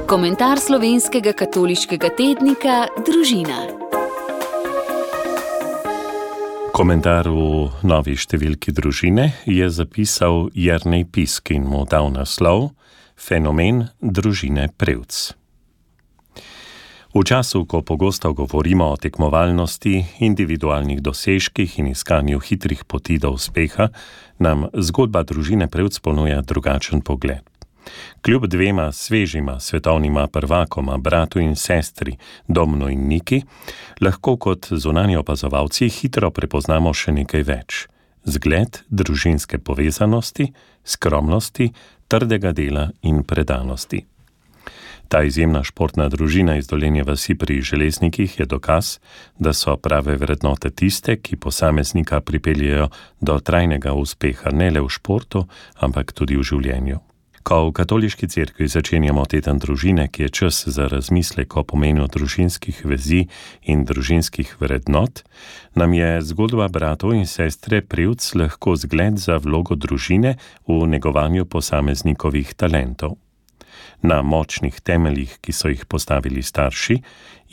Komentar slovenskega katoliškega tednika Družina. Komentar v novi številki Družine je zapisal Jernej Pisk in mu dal naslov Fenomen družine Prevc. V času, ko pogosto govorimo o tekmovalnosti, individualnih dosežkih in iskanju hitrih poti do uspeha, nam zgodba družine Prevc ponuja drugačen pogled. Kljub dvema svežima svetovnima prvakoma, bratu in sestri, Domnu in Niki, lahko kot zunanji opazovalci hitro prepoznamo še nekaj več. Zgled družinske povezanosti, skromnosti, trdega dela in predanosti. Ta izjemna športna družina iz Dolenje vasi pri Železnikih je dokaz, da so prave vrednote tiste, ki posameznika pripeljejo do trajnega uspeha ne le v športu, ampak tudi v življenju. Ko v katoliški cerkvi začenjamo teden družine, ki je čas za razmislek o pomenu družinskih vezi in družinskih vrednot, nam je zgodba bratov in sestre Prevc lahko zgled za vlogo družine v negovanju posameznikovih talentov. Na močnih temeljih, ki so jih postavili starši,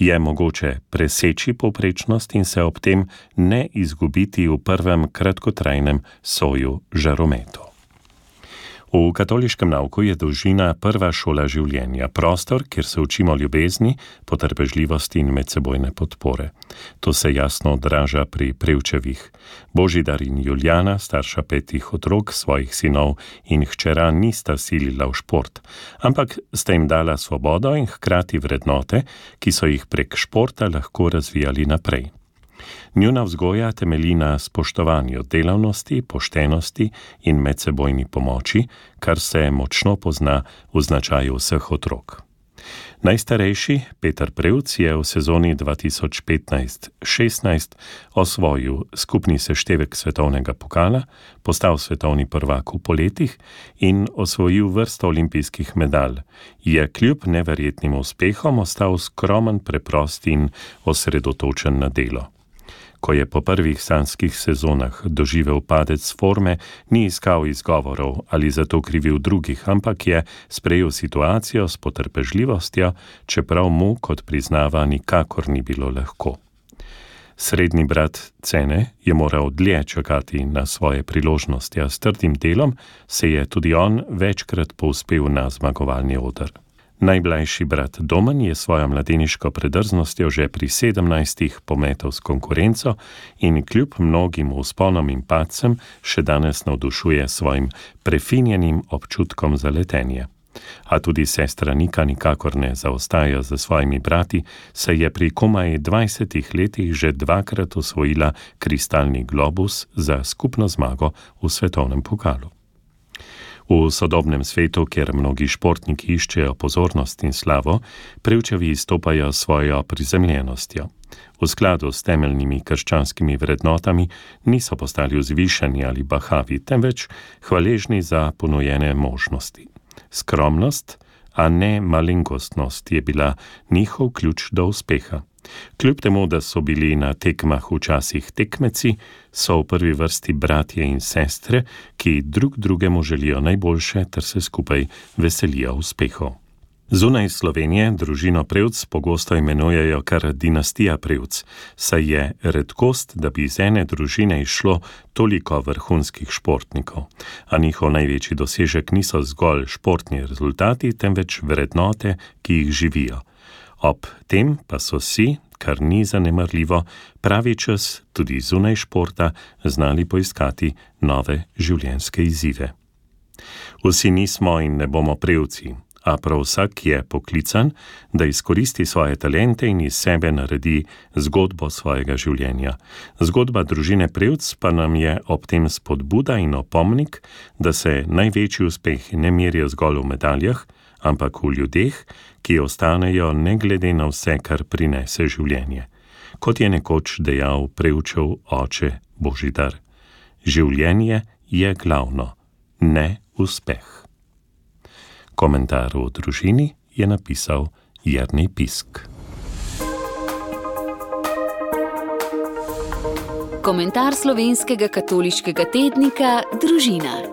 je mogoče preseči povprečnost in se ob tem ne izgubiti v prvem kratkotrajnem soju žarometov. V katoliškem nauku je družina prva šola življenja, prostor, kjer se učimo ljubezni, potrpežljivosti in medsebojne podpore. To se jasno odraža pri Prevčevih. Božidar in Julijana, starša 5 otrok, svojih sinov in hčera nista silila v šport, ampak sta jim dala svobodo in hkrati vrednote, ki so jih prek športa lahko razvijali naprej. Njuna vzgoja temelji na spoštovanju delavnosti, poštenosti in medsebojni pomoči, kar se močno pozna v značaju vseh otrok. Najstarejši, Peter Prevc, je v sezoni 2015-16 osvojil skupni seštevek svetovnega pokala, postal svetovni prvak v poletih in osvojil vrsto olimpijskih medalj. Je kljub neverjetnim uspehom ostal skromen, preprost in osredotočen na delo. Ko je po prvih sanjskih sezonah doživel padec forme, ni iskal izgovorov ali zato krivil drugih, ampak je sprejel situacijo s potrpežljivostjo, čeprav mu, kot priznava, nikakor ni bilo lahko. Srednji brat Cene je moral dlje čakati na svoje priložnosti, a s trdim delom se je tudi on večkrat povzpel na zmagovalni oder. Najmlajši brat Domen je svojo mladeniško predrznostjo že pri 17 pometel s konkurenco in kljub mnogim vzponom in padcem še danes navdušuje svojim prefinjenim občutkom za letenje. A tudi sestra Nika nikakor ne zaostaja za svojimi brati, saj je pri komaj 20 letih že 2krat osvojila kristalni globus za skupno zmago v svetovnem pokalu. V sodobnem svetu, kjer mnogi športniki iščejo pozornost in slavo, Prevčevi izstopajo svojo prizemljenostjo. V skladu s temeljnimi krščanskimi vrednotami niso postali vzvišeni ali bahavi, temveč hvaležni za ponujene možnosti. Skromnost, a ne malenkostnost, je bila njihov ključ do uspeha. Kljub temu, da so bili na tekmah včasih tekmeci, so v prvi vrsti bratje in sestre, ki drug drugemu želijo najboljše ter se skupaj veselijo uspehov. Zunaj Slovenije družino Prevc pogosto imenujejo kar dinastija Prevc, saj je redkost, da bi iz ene družine izšlo toliko vrhunskih športnikov, a njihov največji dosežek niso zgolj športni rezultati, temveč vrednote, ki jih živijo. Ob tem pa so si, kar ni zanemarljivo, pravi čas tudi zunaj športa znali poiskati nove življenjske izzive. Vsi nismo in ne bomo Prevci, a prav vsak je poklican, da izkoristi svoje talente in iz sebe naredi zgodbo svojega življenja. Zgodba družine Prevc pa nam je ob tem spodbuda in opomnik, da se največji uspehi ne merijo zgolj v medaljah, ampak v ljudeh, ki ostanejo ne glede na vse, kar prinese življenje. Kot je nekoč dejal Prevčev oče Božidar, življenje je glavno, ne uspeh. Komentar o družini je napisal Jernej Pisk. Komentar slovenskega katoliškega tednika Družina.